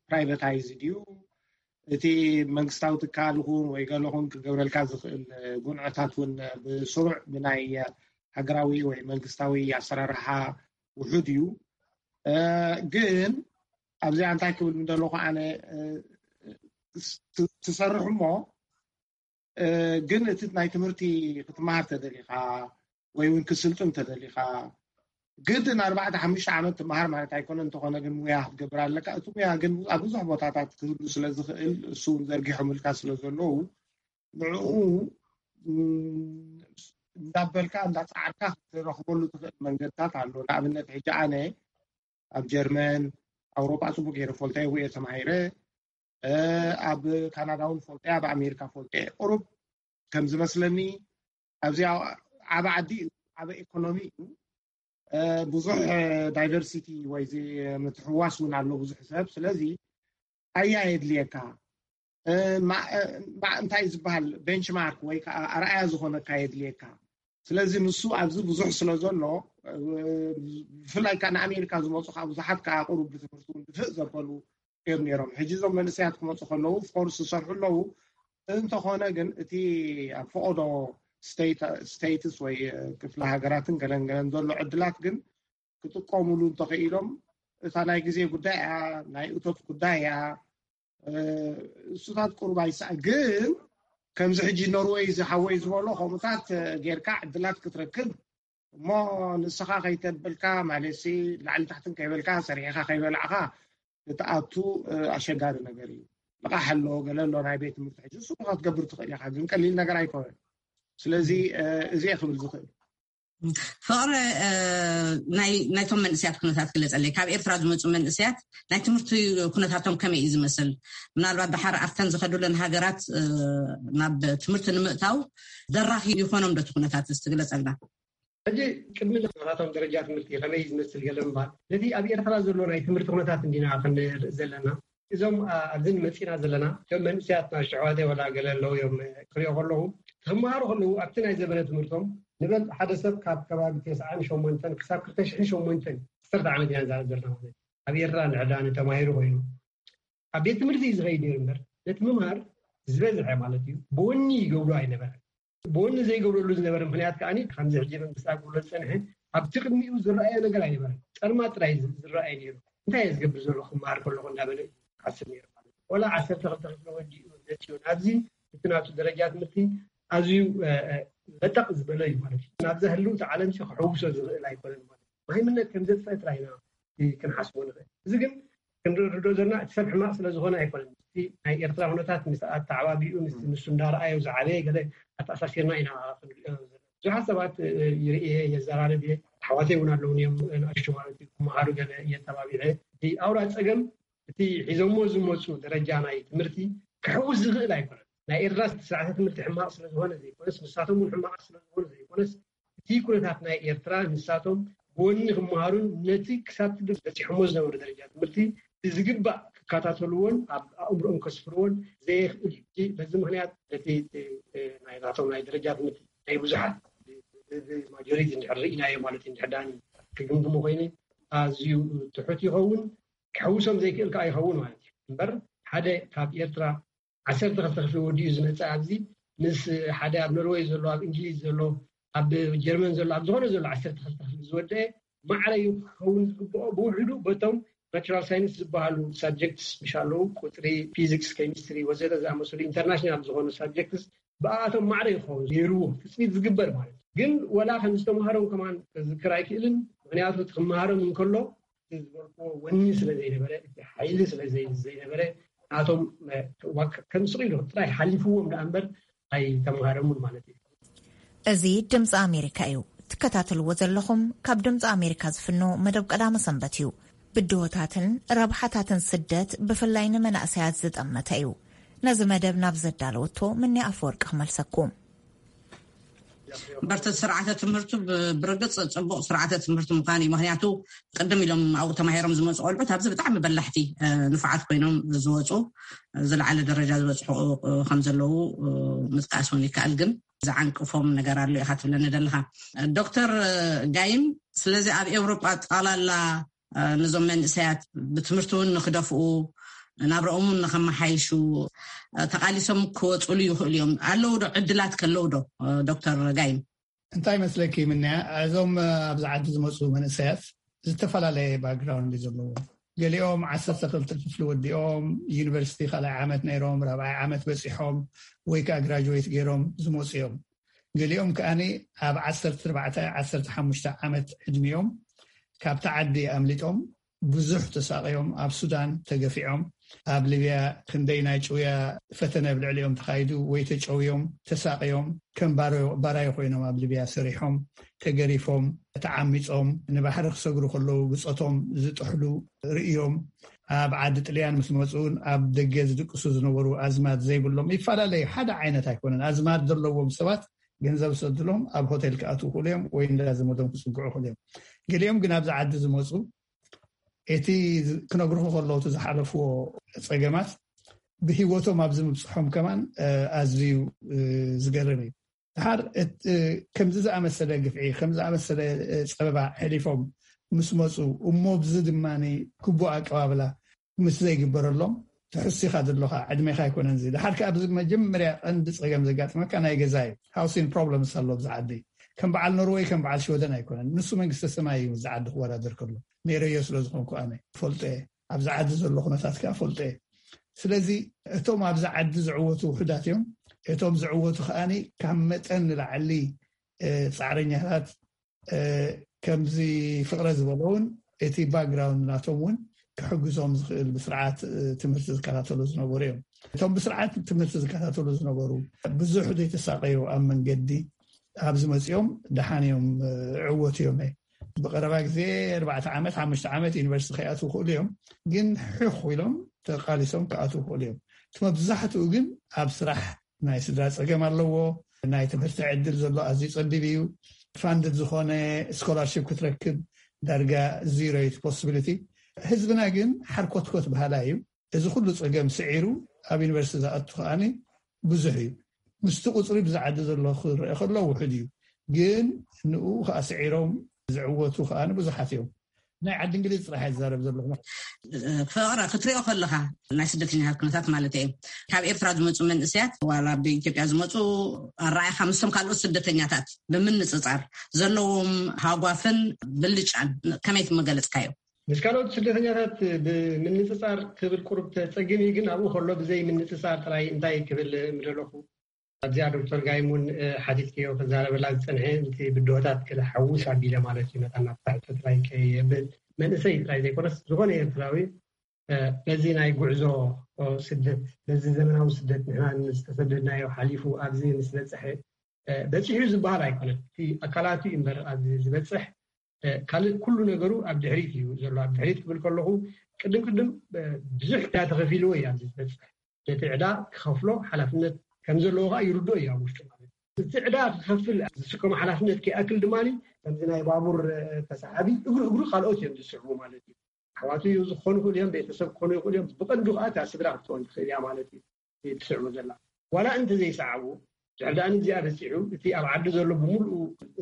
ፕራይቨታይዝ ድዩ እቲ መንግስታዊ ትካል ኹን ወይ ገለኹን ክገብረልካ ዝኽእል ጉንዕታት እውን ብስሩዕ ብናይ ሃገራዊ ወይ መንግስታዊ ኣሰራርሓ ውሑድ እዩ። ግን ኣብዚኣ እንታይ ክብል ምደለኹ ኣነ ትሰርሕ እሞ ግን እቲ ናይ ትምህርቲ ክትመሃር ተደሊኻ ወይ እውን ክስልጥን ተደሊኻ ግድን ኣርባዕተ ሓሙሽተ ዓመት ትመሃር ማለት ኣይኮነ። እንተኾነ ግን ሙያ ክትገብር ኣለካ። እቲ ሙያ ግን ኣብ ብዙሕ ቦታታት ክህሉ ስለ ዝኽእል እሱ እውን ዘርጊሖምልካ ስለ ዘለዉ ንዕኡ እንዳበልካ እንዳፃዓርካ ክትረኽበሉ ትኽእል መንገድታት ኣሎ። ንኣብነት ሕጂ ኣነ ኣብ ጀርመን ኣውሮጳ ፅቡቅ ገይረ ፈልጠ እየ ተማሂረ ኣብ ካናዳ እውን ፈልጠ ኣብ ኣሜሪካ ፈልጠ ቁሩብ ከም ዝመስለኒ ኣብዚ ዓበ ዓዲ እዩ ዓበ ኢኮኖሚ እዩ ብዙሕ ዳይቨርሲቲ ወይ ምትሕዋስ እውን ኣሎ ብዙሕ ሰብ ስለዚ ኣያ የድልየካ እንታይ ዝበሃል ቤንችማርክ ወይ ከዓ ኣርኣያ ዝኾነካ የድልየካ ስለዚ ንሱ ኣብዚ ብዙሕ ስለ ዘሎ ብፍላይ ከዓ ንኣሜሪካ ዝመፁ ከዓ ብዙሓት ከዓ ቁሩብ ብትምህርቲ እውን ድፍእ ዘበሉ እዮም ነይሮም ሕጂ እዞም መንእሰያት ክመፁ ከለዉ ፎርስ ዝሰርሑ ኣለዉ እንተኾነ ግን እቲ ኣብ ፈቐዶ ስቴትስ ወይ ክፍለ ሃገራትን ገለን ገለን ዘሎ ዕድላት ግን ክጥቀሙሉ እንተኽኢሎም እታ ናይ ግዜ ጉዳይ እያ ናይ እቶት ጉዳይ እያ እሱታት ቁሩብ ኣይስኣ ግን ከምዚ ሕጂ ኖርወይ ዝሓወይ ዝበሎ ከምኡታት ጌርካ ዕድላት ክትረክብ እሞ ንስኻ ከይተብልካ ማለት ላዕሊ ታሕትን ከይበልካ ሰሪሕኻ ከይበላዕኻ ክትኣቱ ኣሸጋሪ ነገር እዩ። ልቓሕ ኣሎ ገለ ኣሎ ናይ ቤት ትምህርቲ ሕጂ እሱ ክትገብር ትኽእል ኢኻ ግን ቀሊል ነገር ኣይኮነን። ስለዚ እዚ እየ ክብል ዝኽእል። ፍቕሪ ናይቶም መንእስያት ኩነታት ግለፀለይ ካብ ኤርትራ ዝመፁ መንእስያት ናይ ትምህርቲ ኩነታቶም ከመይ እዩ ዝመስል? ምናልባት ድሓር ኣብተን ዝኸዱለን ሃገራት ናብ ትምህርቲ ንምእታው ደራኺ ይኾኖም ዶ እቲ ኩነታት እዚ ትግለፀልና? ሕጂ ቅድሚ ናታቶም ደረጃ ትምህርቲ ከመይ ዝመስል ገለ ምባል ነቲ ኣብ ኤርትራ ዘሎ ናይ ትምህርቲ ኩነታት እንዲና ክንርኢ ዘለና። እዞም ኣብዚ ንመፂና ዘለና እቶም መንእስያት ናሽቶ ኣሕዋተይ ዋላ ገለ ኣለዉ እዮም ክሪኦ ከለኹ ክመሃሩ ከለዉ ኣብቲ ናይ ዘበነ ትምህርቶም ንበል ሓደ ሰብ ካብ ከባቢ ተስዓን ሸሞንተን ክሳብ ክልተ ሽሕን ሸሞንተን ዓሰርተ ዓመት ኢና ንዛረብ ዘለና ማለት እዩ ኣብ ኤርትራ እንድሕር ደኣ ንተማሂሩ ኮይኑ ኣብ ቤት ትምህርቲ እዩ ዝኸይድ ነይሩ እምበር ነቲ ምምሃር ዝበዝሐ ማለት እዩ ብወኒ ይገብሩ ኣይነበረን ብወኒ ዘይገብረሉ ዝነበረ ምክንያት ከዓ ከምዚ ሕጂ መንግስቲ ኣብ ክብሎ ዝፀንሐ ኣብቲ ቅድሚኡ ዝረኣዮ ነገር ኣይነበረን ፀልማት ጥራይ ዝረኣየ ነይሩ እንታይ እየ ዝገብር ዘሎ ክመሃር ከለኹ እንዳበለ እዩ ክሓስብ ነይሩ ማለት እዩ ወላ ዓሰርተ ክልተ ክፍሊ ወዲኡ መፅኡ ናብዚ እቲ ናቱ ደረጃ ትምህርቲ ኣዝዩ በጠቕ ዝበለ እዩ ማለት እዩ ናብዛ ህልውቲ ዓለም ክሕውሶ ዝኽእል ኣይኮነን ማለት ማይምነት ከም ዘጥፈአ ጥራይ ኢና ክንሓስቦ ንኽእል እዚ ግን ክንርድኦ ዘለና እቲ ሰብ ሕማቕ ስለ ዝኾነ ኣይኮነን እቲ ናይ ኤርትራ ኩነታት ምስ ኣተዓባቢኡ ምስ ንሱ እንዳረኣዮ ዝዓበየ ገለ ኣተኣሳሲርና ኢና ክንሪኦ ዘለና ብዙሓት ሰባት ይርእየ የዘራርብ እየ ኣሕዋተይ እውን ኣለውን እዮም ንኣሽቱ ማለት እዩ ክመሃሩ ገለ እየተባቢዐ እቲ ኣውራ ፀገም እቲ ሒዞሞ ዝመፁ ደረጃ ናይ ትምህርቲ ክሕውስ ዝኽእል ኣይኮነን ናይ ኤርትራ ስርዓተ ትምህርቲ ሕማቕ ስለዝኾነ ዘይኮነስ ንሳቶም እውን ሕማቓት ስለዝኾኑ ዘይኮነስ እቲ ኩነታት ናይ ኤርትራ ንሳቶም ብወኒ ክመሃሩን ነቲ ክሳብ ትድር በፂሖሞ ዝነበሩ ደረጃ ትምህርቲ ብዝግባእ ክከታተልዎን ኣብ ኣእምሮኦም ከስፍርዎን ዘየኽእል እዩ በዚ ምክንያት ነቲ ናይናቶም ናይ ደረጃ ትምህርቲ ናይ ብዙሓት ማጆሪቲ እንድሕር ርኢናዮ ማለት እዩ እንድሕር ዳኒ ክግምግሞ ኮይነ ኣዝዩ ትሑት ይኸውን። ክሕውሶም ዘይክእል ከዓ ይኸውን ማለት እዩ። እምበር ሓደ ካብ ኤርትራ ዓሰርተ ክልተ ክፍሊ ወዲኡ ዝመፅእ ኣብዚ ምስ ሓደ ኣብ ኖርወይ ዘሎ፣ ኣብ እንግሊዝ ዘሎ፣ ኣብ ጀርመን ዘሎ፣ ኣብ ዝኾነ ዘሎ ዓሰርተ ክልተ ክፍሊ ዝወደአ ማዕረ እዩ ክኸውን ዝግብኦ። ብውሕዱ በቶም ናቹራል ሳይንስ ዝበሃሉ ሳብጀክትስ ምሽ ኣለዉ፣ ቁፅሪ፣ ፊዚክስ፣ ኬሚስትሪ ወዘተ ዝኣመሰሉ ኢንተርናሽናል ዝኾኑ ሳብጀክትስ ብኣቶም ማዕረ ይኸውን ነይርዎ ትፅቢት ዝግበር ማለት እዩ። ግን ወላ ከም ዝተምሃሮም ከማን ክዝክር ኣይክእልን። ምክንያቱ እቲ ክመሃሮም እንከሎ እቲ ዝበልክዎ ወኒ ስለ ዘይነበረ፣ እቲ ሓይሊ ስለ ዘይ- ዘይነበረ፣ ናቶም ከምስቕ ኢሉ ጥራይ ሓሊፍዎም ደኣ እምበር ኣይተምሃረሙን ማለት እዩ። እዚ ድምፂ ኣሜሪካ እዩ። ትከታተልዎ ዘለኹም ካብ ድምፂ ኣሜሪካ ዝፍኖ መደብ ቀዳመ ሰንበት እዩ። ብድሆታትን ረብሓታትን ስደት ብፍላይ ንመናእሰያት ዝጠመተ እዩ። ነዚ መደብ ናብ ዘዳለወቶ ምኒ ኣፈወርቂ ክመልሰኩም። በርቲ ስርዓተ ትምህርቱ ብ- ብርግፅ ፅቡቕ ስርዓተ ትምህርቲ ምዃን እዩ። ምክንያቱ ቅድም ኢሎም ኣብኡ ተማሂሮም ዝመፁ ቆልዑት ኣብዚ ብጣዕሚ በላሕቲ እ፣ ንፉዓት ኮይኖም ዝወፁ እ፣ ዝለዓለ ደረጃ ዝበፅሑ እ፣ ከም ዘለዉ እ፣ ምጥቃስ እውን ይከኣል። ግን ዝዓንቅፎም ነገር ኣሎ ኢኻ ትብለኒ ዘለኻ ዶክተር እ፣ ጋይም። ስለዚ ኣብ ኤውሮጳ ጠቕላላ እ፣ ነዞም መንእሰያት ብትምህርቲ እውን ንክደፍኡ ናብረኦም እውን ንከመሓይሹ እ፣ ተቓሊሶም ክወፅሉ ይኽእሉ እዮም። ኣለዉ ዶ ዕድላት ከለዉ ዶ እ፣ ዶክተር ጋይም? እንታይ መስለኪ ምንያ፣ እዞም ኣብዚ ዓዲ ዝመፁ መንእሰያት ዝተፈላለየ ባክግራውንድ እዩ ዘለዎም። ገሊኦም ዓሰርተ ክልተ ክፍሊ ወዲኦም ዩኒቨርሲቲ ካልኣይ ዓመት ነይሮም ራብዓይ ዓመት በፂሖም ወይ ከዓ ግራጅዌት ገይሮም ዝመፁ እዮም። ገሊኦም ከዓኒ ኣብ ዓሰርተ ኣርባዕተ ዓሰርተ ሓሙሽተ ዓመት ዕድሚኦም ካብቲ ዓዲ ኣምሊጦም ብዙሕ ተሳቕዮም ኣብ ሱዳን ተገፊዖም ኣብ ሊብያ ክንደይ ናይ ጭውያ ፈተነ ኣብ ልዕሊኦም ተኻይዱ ወይ ተጨውዮም ተሳቕዮም ከም ባራዮ ኮይኖም ኣብ ሊብያ ሰሪሖም ተገሪፎም ተዓሚፆም ንባሕሪ ክሰግሩ ከለዉ ብፆቶም ዝጥሕሉ ርእዮም ኣብ ዓዲ ጥልያን ምስ መፁ እውን ኣብ ደገ ዝድቅሱ ዝነበሩ ኣዝማድ ዘይብሎም ይፈላለዩ ሓደ ዓይነት ኣይኮነን ኣዝማድ ዘለዎም ሰባት ገንዘብ ዝሰድሎም ኣብ ሆቴል ክኣትዉ ክእሉ እዮም ወይ እንዳ ዘመዶም ክፅግዑ ክእሉ እዮም ገሊኦም ግን ኣብዚ ዓዲ ዝመፁ እቲ ክነግርኹ ከለዉ እቲ ዝሓለፍዎ ፀገማት ብሂወቶም ኣብዚ ምብፅሖም ከማን ኣዝዩ ዝገርም እዩ ድሓር ከምዚ ዝኣመሰለ ግፍዒ ከም ዝኣመሰለ ፀበባ ሕሊፎም ምስ መፁ እሞ ብዚ ድማ ግቡእ ኣቀባብላ ምስ ዘይግበረሎም ትሕሲኻ ዘለኻ ዕድሜኻ ኣይኮነን እዚ ድሓር ከኣ ብዚ መጀመርያ ቀንዲ ፀገም ዘጋጥመካ ናይ ገዛ እዩ housing problems ኣሎ ብዚ ዓዲ ከም በዓል ኖርወይ ከም በዓል ሽወደን ኣይኮነን ንሱ መንግስተ ሰማይ እዩ እዚ ዓዲ ክወዳደር ከሎ ነይረዮ ስለ ዝኾንኩ ኣነ ፈልጦ እየ ኣብዚ ዓዲ ዘሎ ኩነታት ከኣ ፈልጦ እየ ስለዚ እቶም ኣብዚ ዓዲ ዝዕወቱ ውሑዳት እዮም እቶም ዝዕወቱ ከኣ ካብ መጠን ንላዕሊ ፃዕረኛታት ከምዚ ፍቕረ ዝበሎ እውን እቲ ባክግራውንድ ናቶም እውን ክሕግዞም ዝኽእል ብስርዓት ትምህርቲ ዝከታተሉ ዝነበሩ እዮም እቶም ብስርዓት ትምህርቲ ዝከታተሉ ዝነበሩ ብዙሕ ዘይተሳቀዩ ኣብ መንገዲ ኣብዚ መፂኦም ደሓን እዮም ዕወት እዮም ብቀረባ ግዜ ኣርባዕተ ዓመት ሓሙሽተ ዓመት ዩኒቨርሲቲ ከይኣትዉ ክእሉ እዮም ግን ሕኽ ኢሎም ተቃሊሶም ክኣትዉ ክእሉ እዮም እቲ መብዛሕትኡ ግን ኣብ ስራሕ ናይ ስድራ ፀገም ኣለዎ ናይ ትምህርቲ ዕድል ዘሎ ኣዝዩ ፀቢብ እዩ ፋንድድ ዝኾነ ስኮላርሽፕ ክትረክብ ዳርጋ ዚሮ እዩ ፖስቢሊቲ ህዝብና ግን ሓርኮትኮት ባህላ እዩ እዚ ኩሉ ፀገም ስዒሩ ኣብ ዩኒቨርሲቲ ዝኣቱ ከዓኒ ብዙሕ እዩ ምስቲ ቁፅሪ ብዝዓዲ ዘሎ ክረአ ከሎ ውሑድ እዩ ግን ንኡ ከዓ ስዒሮም ዝዕወቱ ከዓ ብዙሓት እዮም ናይ ዓዲ እንግሊዝ ጥራሕ ዝዛረብ ዘለኹ ፍቕረ ክትሪኦ ከለኻ ናይ ስደተኛታት ኩነታት ማለት እየ ካብ ኤርትራ ዝመፁ መንእስያት ዋላ ብኢትዮጵያ ዝመፁ ኣረኣይኻ ምስቶም ካልኦት ስደተኛታት ብምንፅፃር ዘለዎም ሃጓፍን ብልጫን ከመይ ትመገለፅካዮ ምስ ካልኦት ስደተኛታት ብምንፅፃር ክብል ቁሩብ ተፀግም እዩ ግን ኣብኡ ከሎ ብዘይ ምንፅፃር ጥራይ እንታይ ክብል ምደለኹ ኣብዚኣ ዶክተር ጋይም እውን ሓቲትክዮ ክዛረበላ ዝፀንሐ እቲ ብድሆታት ክልሓውስ ኣቢለ ማለት እዩ መታን ናብቲ ሕቶ ጥራይ ከየብል መንእሰይ ጥራይ ዘይኮነስ ዝኾነ ኤርትራዊ በዚ ናይ ጉዕዞ ስደት በዚ ዘመናዊ ስደት ንሕና ዝተሰደድናዮ ሓሊፉ ኣብዚ ምስ በፅሐ በፂሑ ዝበሃል ኣይኮነን እቲ ኣካላቱ እዩ እምበር ኣብዚ ዝበፅሕ ካልእ ኩሉ ነገሩ ኣብ ድሕሪት እዩ ዘሎ ኣብ ድሕሪት ክብል ከለኹ ቅድም ቅድም ብዙሕ ዕዳ ተኸፊልዎ እዩ ኣብዚ ዝበፅሕ ነቲ ዕዳ ክኸፍሎ ሓላፍነት ከም ዘለዎ ከዓ ይርድኦ እዩ ኣብ ውሽጡ ማለት እቲ ዕዳ ክኸፍል ዝስከሞ ሓላፍነት ከይኣክል ድማ ከምዚ ናይ ባቡር ተሰሓቢ እግሩ እግሩ ካልኦት እዮም ዝስዕቡ ማለት እዩ ኣሕዋቱ እዩ ዝኾኑ ይኽእሉ እዮም ቤተሰብ ክኾኑ ይኽእሉ እዮም ብቐንዱ ከዓ እታ ስድራ ክትኾን ትኽእል እያ ማለት እዩ ትስዕቡ ዘላ ዋላ እንተዘይሰዓቡ ድሕር ደኣ ንዚኣ በፂሑ እቲ ኣብ ዓዲ ዘሎ ብምሉኡ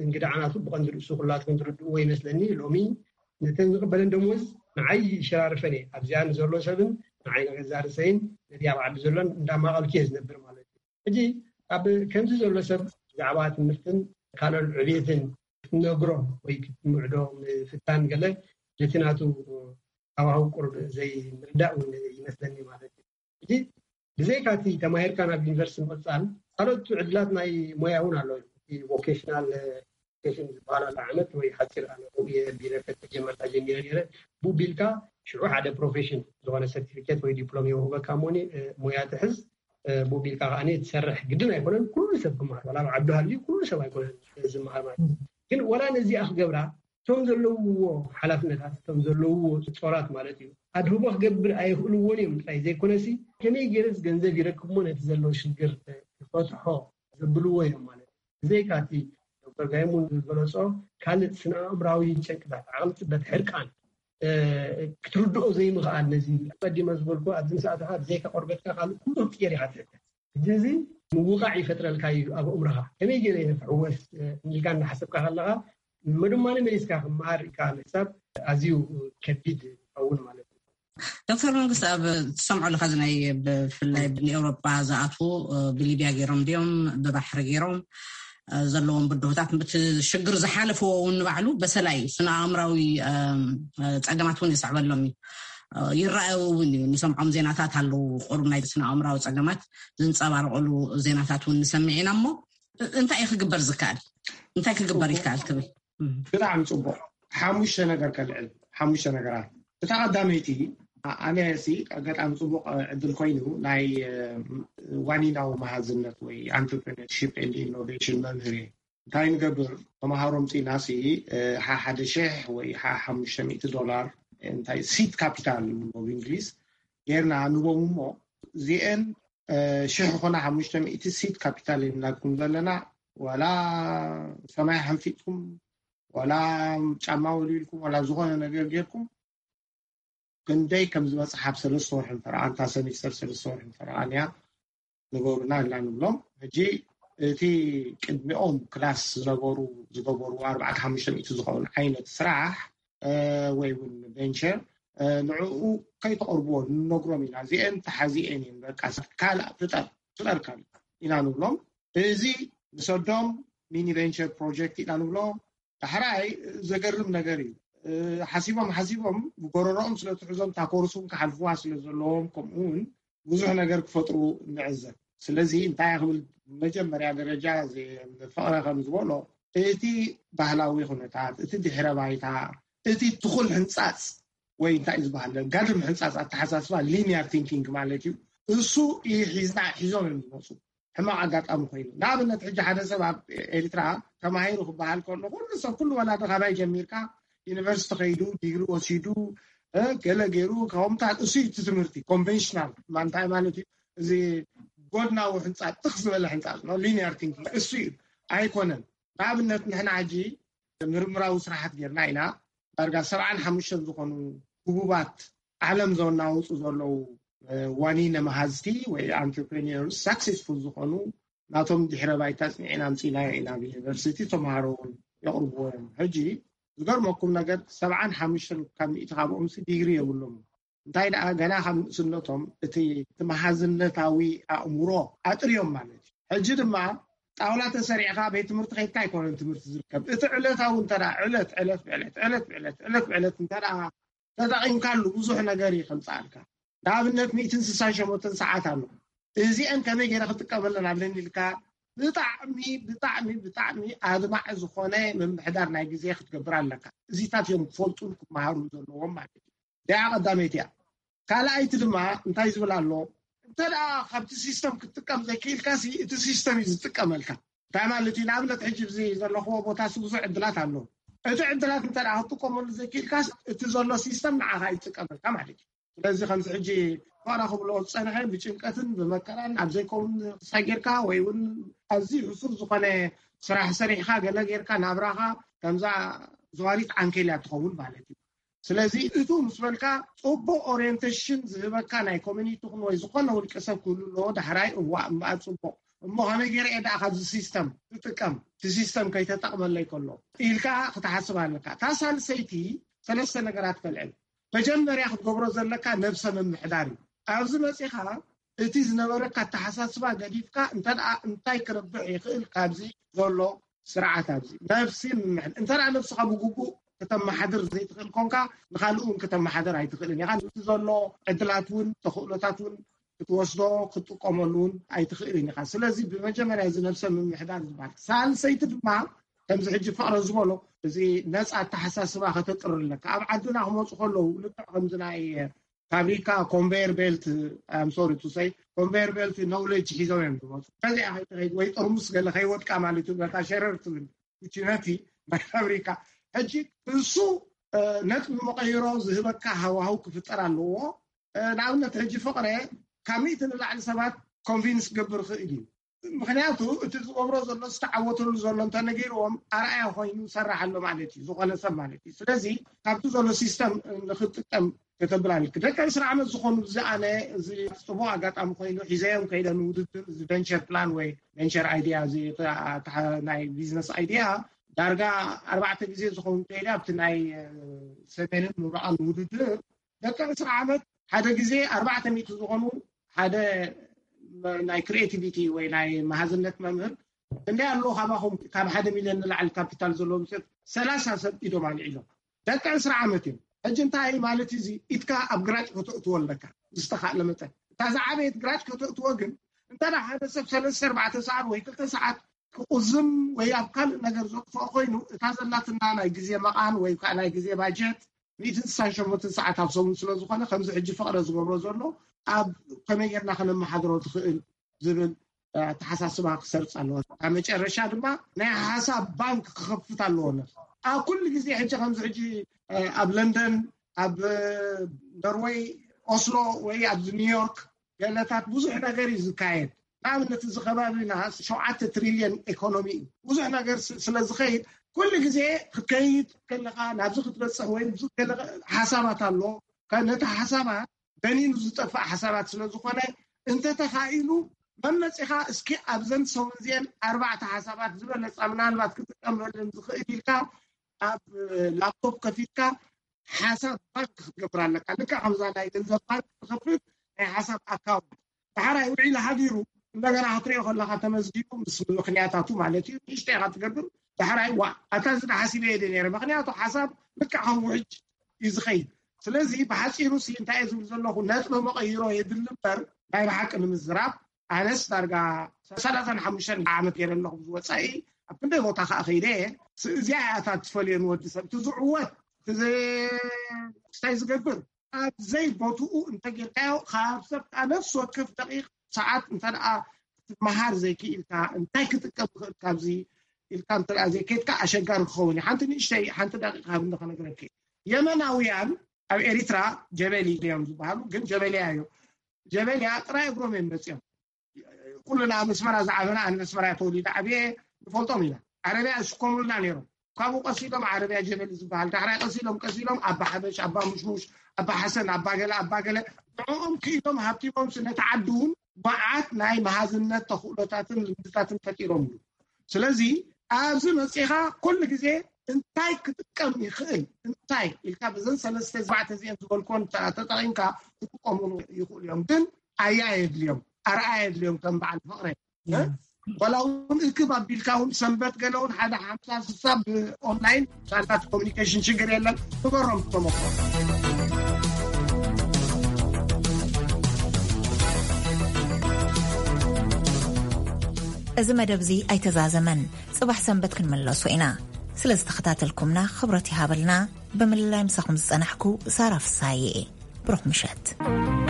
እንግድዓናቱ ብቐንዲ ርእሱ ኩላትኩም ትርድእዎ ይመስለኒ ሎሚ ነተን ዝቕበለን ደሞዝ ንዓይ ይሸራርፈን እየ። ኣብዚኣ ንዘሎ ሰብን ንዓይ ንገዛ ርእሰይን ነቲ ኣብ ዓዲ ዘሎን እንዳማቐልኩ እየ ዝነብር ማለት እዩ። ሕጂ ኣብ ከምዚ ዘሎ ሰብ ብዛዕባ ትምህርትን ካልኦት ዕቤትን ክትነግሮ ወይ ክትምዕዶ ምፍታን ገለ ነቲ ናቱ ሃዋህው ቁሩብ ዘይምርዳእ እውን ይመስለኒ ማለት እዩ። ሕጂ ብዘይካ እቲ ተማሂርካ ናብ ዩኒቨርሲቲ ምቕፃል ካልኦት ዕድላት ናይ ሞያ እውን ኣለዉ። እቲ ቮኬሽናል ኬሽን ዝበሃል ኣሎ ዓመት ወይ ሓፂር ኣነ ቢረ ተጀመርካ ጀሚረ ነይረ ብኡ ቢልካ ሽዑ ሓደ ፕሮፌሽን ዝኾነ ሰርቲፊኬት ወይ ዲፕሎም የውህበካ እሞኒ ሞያ ትሕዝ ብኡ ቢልካ ከዓ ትሰርሕ ግድን ኣይኮነን። ኩሉ ሰብ ክመሃር ዋላ ኣብ ዓዱ ሃልዩ ኩሉ ሰብ ኣይኮነን ዝመሃር ማለት እዩ። ግን ዋላ ነዚኣ ክገብራ እቶም ዘለውዎ ሓላፍነታት እቶም ዘለውዎ ጾራት ማለት እዩ ኣድህቦ ክገብር ኣይኽእልዎን እዮም ጥራይ ዘይኮነሲ ከመይ ገይረስ ገንዘብ ይረክብሞ ነቲ ዘሎ ሽግር ይፈትሖ ዘብልዎ እዮም ማለት እዩ። ብዘይካ እቲ ዶክተር ጋይሙን ዝገለጾ ካልእ ስነ ኣእምራዊ ጨንቅታት ዓቕሊ ጽበት ሕርቃን ክትርድኦ ዘይምኽኣል ነዚ ኣቀዲመ ዝበልኩ ኣብዚ ምስኣተኻ ብዘይካ ቆርበትካ ካልእ ኩሉ ክትቅየር ኢኻ ትሕተት። ሕጂ እዚ ምውቃዕ ይፈጥረልካ እዩ ኣብ ኣእምሮኻ ከመይ ገይረ እየ ክሕወስ ኢልካ እናሓሰብካ ከለኻ መድማኒ መሊስካ ክመሃር ኢልካ ምሕሳብ ኣዝዩ ከቢድ ይኸውን ማለት እዩ። ዶክተር መንግስት ኣብ ትሰምዖ ኣለካ ናይ ብፍላይ ብንኤውሮጳ ዝኣትዉ ብሊብያ ገይሮም ድዮም ብባሕሪ ገይሮም ዘለዎም ብድሆታት እቲ ሽግር ዝሓለፍዎ እውን ንባዕሉ በሰላ እዩ ስነ ኣእምራዊ ፀገማት እውን የስዕበሎም እዩ። ይረኣዩ እውን እዩ ንሰምዖም ዜናታት ኣለዉ ቁሩብ ናይ ስነ ኣእምራዊ ፀገማት ዝንፀባረቀሉ ዜናታት እውን ንሰምዕ ኢና እሞ እንታይ እዩ ክግበር ዝከኣል እንታይ ክግበር ይከኣል ትብል? ብጣዕሚ ፅቡቅ። ሓሙሽተ ነገር ከልዕል ሓሙሽተ ነገራት። እታ ቀዳመይቲ ኣነ ሲ ኣጋጣሚ ፅቡቅ ዕድል ኮይኑ ናይ ዋኒናዊ መሃዝነት ወይ entrepreneurship and innovation መምህር እየ። እንታይ ንገብር ተምሃሮ ምፂና ሲ ሓደ ሽሕ ወይ ሓሙሽተ ሚእቲ ዶላር እንታይ seed capital ብእንግሊዝ ጌርና ንቦም እሞ እዚአን ሽሕ ኮና ሓሙሽተ ሚእቲ seed capital የብልናኩም ዘለና ዋላ ሰማይ ሓንፊጥኩም ዋላ ጫማ ወልዊልኩም ዋላ ዝኾነ ነገር ጌርኩም ክንደይ ከም ዝበፅሕ ኣብ ሰለስተ ወርሒ እንተረኣ እንታ ሰሚስተር ሰለስተ ወርሒ እንተረኣንያ ንገሩና ኢልና ንብሎም። ሕጂ እቲ ቅድሚኦም ክላስ ዝነበሩ ዝገበሩ ኣርባዕተ ሓሙሽተ ሚእቲ ዝኸውን ዓይነት ስራሕ ወይ እውን ቨንቸር ንዕኡ ከይተቕርብዎ ንነግሮም ኢና። እዚአን ተሓዚአን እየን በቃ ካልእ ፍጠር ፍጠር ካልእ ኢና ንብሎም። እዚ ንሰዶም ሚኒ ቨንቸር ፕሮጀክት ኢና ንብሎ። ዳሕራይ ዘገርም ነገር እዩ። ሓሲቦም ሓሲቦም ብጎረሮኦም ስለትሕዞም እታ ኮርስ እውን ክሓልፍዋ ስለዘለዎም ከምኡ እውን ብዙሕ ነገር ክፈጥሩ ንዕዘብ። ስለዚ እንታይ ክብል መጀመርያ ደረጃ ፍቕረ ከም ዝበሎ እቲ ባህላዊ ኩነታት እቲ ድሕረ ባይታ እቲ ትኹል ሕንፃፅ ወይ እንታይ ዝበሃል ጋድም ሕንፃፅ ኣተሓሳስባ linear thinking ማለት እዩ። እሱ እዩ ሒዝና ሒዞም እዮም ዝመፁ። ሕማቕ ኣጋጣሚ ኮይኑ ንኣብነት ሕጂ ሓደ ሰብ ኣብ ኤርትራ ተማሂሩ ክበሃል ከሎ ኩሉ ሰብ ኩሉ ወላዲ ካባይ ጀሚርካ ዩኒቨርሲቲ ከይዱ ዲግሪ ወሲዱ ገለ ገይሩ ከምታት እሱ እዩ እቲ ትምህርቲ ኮንቨንሽናል እንታይ ማለት እዩ? እዚ ጎድናዊ ሕንፃ ትኽ ዝበለ ሕንፃ linear thinking እሱ እዩ። ኣይኮነን። ንኣብነት ንሕና ሕጂ ምርምራዊ ስራሓት ጌርና ኢና። ዳርጋ ሰብዓን ሓሙሽተን ዝኾኑ ህቡባት ዓለም ዘናውፁ ዘለዉ ዋኒነ መሃዝቲ ወይ entrepreneurs successful ዝኾኑ ናቶም ድሕረ ባይታ ኣፅኒዕና ኣምፂእናዮ ኢና። ኣብ ዩኒቨርሲቲ ተምሃሮ እውን የቕርብዎ እዮም። ሕጂ ዝገርመኩም ነገር ሰብዓን ሓሙሽተን ካብ ሚእቲ ካብኦምሲ ዲግሪ የብሎም። እንታይ ደኣ ገና ካብ ንእስነቶም እቲ እቲ መሃዝነታዊ ኣእምሮ ኣጥርዮም ማለት እዩ። ሕጂ ድማ ጣውላ ተሰሪዕካ ቤት ትምህርቲ ከይድካ ኣይኮነን ትምህርቲ ዝርከብ። እቲ ዕለታዊ እንተ ዕለት ዕለት ብዕለት ዕለት ብዕለት ዕለት ብዕለት እንተ ተጠቒምካሉ ብዙሕ ነገር እዩ ከምፅኣልካ። ንኣብነት ሚእትን ስሳን ሸሞንተን ሰዓት ኣሎ። እዚአን ከመይ ገይረ ክጥቀመለን ኣለኒ ኢልካ ብጣዕሚ ብጣዕሚ ብጣዕሚ ኣድማዒ ዝኾነ ምምሕዳር ናይ ግዜ ክትገብር ኣለካ። እዚታት እዮም ክፈልጡን ክመሃሩን ዘለዎም ማለት እዩ። እዚኣ ቀዳመይቲ እያ። ካልኣይቲ ድማ እንታይ ዝብል ኣሎ እንተ ካብቲ ሲስተም ክትጥቀም ዘይክኢልካ እቲ ሲስተም እዩ ዝጥቀመልካ። እንታይ ማለት እዩ ንኣብነት ሕጂ ዚ ዘለኽዎ ቦታ ብዙሕ ዕድላት ኣሎ። እቲ ዕድላት እንተ ክትጥቀመሉ ዘይክኢልካ እቲ ዘሎ ሲስተም ንዓኻ ይጥቀመልካ ማለት እዩ። ስለዚ ከምዚ ሕጂ ፋራ ክብሎ ዝፀንሐ ብጭንቀትን ብመከራን ኣብ ዘይከውን ክሳይ ጌርካ ወይ እውን ኣዝዩ ሕሱር ዝኾነ ስራሕ ሰሪሕካ ገለ ጌርካ ናብራኻ ከምዛ ዘዋሪት ዓንኬልያ ትኸውን ማለት እዩ። ስለዚ እቱ ምስ በልካ ፅቡቅ ኦሪንቴሽን ዝህበካ ናይ ኮሚኒቲ ወይ ዝኾነ ውልቀ ሰብ ክህሉ ኣለዎ። ዳሕራይ እዋ እምበኣር ፅቡቅ እሞ ከመይ ገይረ እየ ደኣ ካብዚ ሲስተም ክጥቀም እቲ ሲስተም ከይተጠቅመለይ ከሎ ኢልካ ክትሓስብ ኣለካ። እታ ሳልሰይቲ ሰለስተ ነገራት ከልዕል። መጀመርያ ክትገብሮ ዘለካ ነብሰ ምምሕዳር እዩ። ኣብዚ መጺኻ እቲ ዝነበረካ ኣተሓሳስባ ገዲፍካ፣ እንተ ደኣ እንታይ ክረብሕ ይኽእል ካብዚ ዘሎ ስርዓት ኣብዚ? ነብሲ ምምሕድ-፣ እንተ ደኣ ነብስኻ ብግቡእ ከተመሓድር ዘይትኽእል ኮንካ፣ ንኻልእ እውን ከተመሓድር ኣይትኽእልን ኢኻ። እቲ ዘሎ ዕድላት እውን ተኽእሎታት እውን ክትወስዶ ክትጥቀመሉ እውን ኣይትኽእልን ኢኻ። ስለዚ ብመጀመርያ እዚ ነብሰ ምምሕዳር ዝበሃል። ሳልሰይቲ ድማ ከምዚ ሕጂ ፍቕረ ዝበሎ እዚ ነጻ ኣተሓሳስባ ከተጥሪ ኣለካ። ኣብ ዓድና ክመጹ ከለዉ ልክዕ ከምዚ ናይ ፋብሪካ ኮንቨየር ቤልት፣ I'm sorry to say፣ ኮንቨየር ቤልት ኖውሌጅ ሒዞም እዮም ዝመጹ። በዚኣ ከይትኸይድ ወይ ጥርሙስ ገለ ከይወድቃ ማለት እዩ፣ በታ ሸረር ትብል ውጭነቲ ናይ ፋብሪካ። ሕጂ እሱ፣ እ፣ ነጥቢ መቐይሮ ዝህበካ ሃዋህው ክፍጠር ኣለዎ። እ፣ ንኣብነት ሕጂ ፍቕረ ካብ ሚእቲ ንላዕሊ ሰባት ኮንቪንስ ክገብር ይኽእል እዩ። ምኽንያቱ እቲ ዝገብሮ ዘሎ ዝተዓወተሉ ዘሎ እንተነገርዎም ኣርኣያ ኮይኑ ይሰርሕ ኣሎ ማለት እዩ፣ ዝኾነ ሰብ ማለት እዩ። ስለዚ ካብቲ ዘሎ ሲስተም ንክጥቀም ከተብል ኣለኪ። ደቂ ዕስራ ዓመት ዝኾኑ እዚ ኣነ እዚ ጽቡቕ ኣጋጣሚ ኮይኑ ሒዘዮም ከይደ ንውድድር እዚ ቨንቸር ፕላን ወይ ቨንቸር ኣይዲያ እዚ ናይ ቢዝነስ ኣይዲያ ዳርጋ ኣርባዕተ ግዜ ዝኸውን ከይደ ኣብቲ ናይ ሰሜንን ምብራቕን ውድድር ደቂ ዕስራ ዓመት ሓደ ግዜ ኣርባዕተ ሚእቲ ዝኾኑ ሓደ ናይ ክሪኤቲቪቲ ወይ ናይ መሃዝነት መምህር እንደ ኣሎ ካባኹም ካብ ሓደ ሚልዮን ንላዕሊ ካፒታል ዘለዎም ሰብ ሰላሳ ሰብ ኢዶም ኣልዒሎም። ደቂ ዕስራ ዓመት እዮም። ሕጂ እንታይ ማለት እዩ? እዚ ኢድካ ኣብ ግራጭ ከተእትዎ ኣለካ ዝተኻእለ መጠን። እታ ዝዓበየት ግራጭ ከተእትዎ ግን እንተ ደኣ ሓደ ሰብ ሰለስተ ኣርባዕተ ሰዓት ወይ ክልተ ሰዓት ክቑዝም ወይ ኣብ ካልእ ነገር ዘጥፍኦ ኮይኑ፣ እታ ዘላትና ናይ ግዜ መቓን ወይ ከዓ ናይ ግዜ ባጀት ሚእትን ስሳን ሸሞንተን ሰዓት ኣብ ሰሙን ስለ ዝኾነ፣ ከምዚ ሕጂ ፍቕረ ዝገብሮ ዘሎ ኣብ ከመይ ጌርና ከነመሓድሮ ትኽእል ዝብል ኣተሓሳስባ ክሰርጽ ኣለዎ። ኣብ መጨረሻ ድማ ናይ ሓሳብ ባንክ ክኸፍት ኣለዎ። ኣብ ኩሉ ግዜ ሕጂ ከምዚ ሕጂ ኣብ ለንደን፣ ኣብ ኖርወይ ኦስሎ ወይ ኣብዚ ኒውዮርክ ገለታት ብዙሕ ነገር እዩ ዝካየድ። ንኣብነት እዚ ከባቢና ሸውዓተ ትሪልዮን ኢኮኖሚ እዩ። ብዙሕ ነገር ስ-፣ ስለ ዝኸይድ ኩሉ ግዜ ክትከይድ ከለኻ ናብዚ ክትበጽሕ ወይ ኣብዚ ከለኻ ሓሳባት ኣሎ። ከ-፣ ነቲ ሓሳባት በኒኑ ዝጠፍእ ሓሳባት ስለ ዝኾነ እንተተኻኢሉ መመጺኻ እስኪ ኣብዘን ሰሙን እዚአን ኣርባዕተ ሓሳባት ዝበለጻ ምናልባት ክጥቀመለን ዝኽእል ኢልካ ኣብ ላፕቶፕ ከፊትካ ሓሳብ ባንክ ክትገብር ኣለካ። ልክዕ ከምዛ ናይ ገንዘብ ባንክ ትኸፍት ናይ ሓሳብ ኣካውንት። ዳሕራይ ውዒሉ ሓዲሩ እንደገና ክትሪኦ ከለካ ተመዝጊቡ ምስ ምኽንያታቱ ማለት እዩ። ንእሽተይ ኢኻ ትገብር። ዳሕራይ ዋ ኣታ እዚ ሓሲበ እየ ነይረ። ምኽንያቱ ሓሳብ ልክዕ ከም ውሕጅ እዩ ዝኸይድ። ስለዚ ብሓፂሩ ሲ እንታይ እየ ዝብል ዘለኹ፣ ነጥቢ መቐይሮ የድሊ እምበር ናይ ብሓቂ ንምዝራብ ኣነስ ዳርጋ ሰላሳን ሓሙሽተን ዓመት ገይረ ኣለኹ ዝወፃኢ ኣብ ክንደይ ቦታ ከዓ ከይደ እየ። ስ-፣ እዚኣ እያ እታ ትፈልዮ ንወዲ ሰብ። እቲ ዝዕወት፣ እቲ ዝ-፣ ክስታይ ዝገብር ኣብ ዘይቦትኡ እንተጌርካዮ ካብ ሰብ ከዓ ነፍሲ ወከፍ ደቂቕ ሰዓት እንተ ደኣ ክትመሃር ዘይክኢልካ እንታይ ክጥቀም ክእል ካብዚ ኢልካ እንተ ደኣ ዘይከድካ ኣሸጋሪ ክኸውን እዩ። ሓንቲ ንእሽተይ ሓንቲ ደቂቕ ሃብኒ ከነግረኪ። የመናውያን ኣብ ኤሪትራ ጀበሊ እዮም ዝበሃሉ፣ ግን ጀበልያ እዮም። ጀበልያ ጥራይ እግሮም እዮም መፅኦም። ኩልና ኣብ ኣስመራ ዝዓበና፣ ኣነ ኣስመራ ተወሊደ ዓብየ ንፈልጦም ኢና። ዓረብያ ዝሽከሙልና ነይሮም። ካብኡ ቀሲሎም ዓረብያ ጀበሊ ዝበሃል፣ ዳሕራይ ቀሲሎም ቀሲሎም ኣባ ሓበሽ፣ ኣባ ሙሽሙሽ፣ ኣባ ሓሰን፣ ኣባ ገለ ኣባ ገለ ንዕኦም ክኢሎም ሃብቲሞም ነቲ ዓዲ እውን መዓት ናይ መሃዝነት ተኽእሎታትን ልምድታትን ፈጢሮምሉ። ስለዚ ኣብዚ መፂኻ ኩሉ ግዜ እንታይ ክጥቀም ይኽእል እንታይ ኢልካ ብዘን ሰለስተ ኣርባዕተ እዚአን ዝበልኮን ተ-፣ ተጠቒምካ ክጥቀሙሉ ይኽእሉ እዮም። ግን ኣያ የድልዮም፣ ኣርኣያ የድልዮም ከም በዓል ፍቕረ። እ? ዋላ እውን እክብ ኣቢልካ እውን ሰንበት ገለ እውን ሓደ ሓምሳ ስሳ ብኦንላይን ሳላት ኮሚኒኬሽን ሽግር የለን። ንገሮም ተመክሮ። እዚ መደብ እዚ ኣይተዛዘመን። ጽባሕ ሰንበት ክንምለሶ ኢና። ስለ ዝተኸታተልኩምና ክብረት ይሃበልና። ብምልላይ ምሳኹም ዝጸናሕኩ ሳራ ፍሳየ እየ። ብሩኽ ምሸት።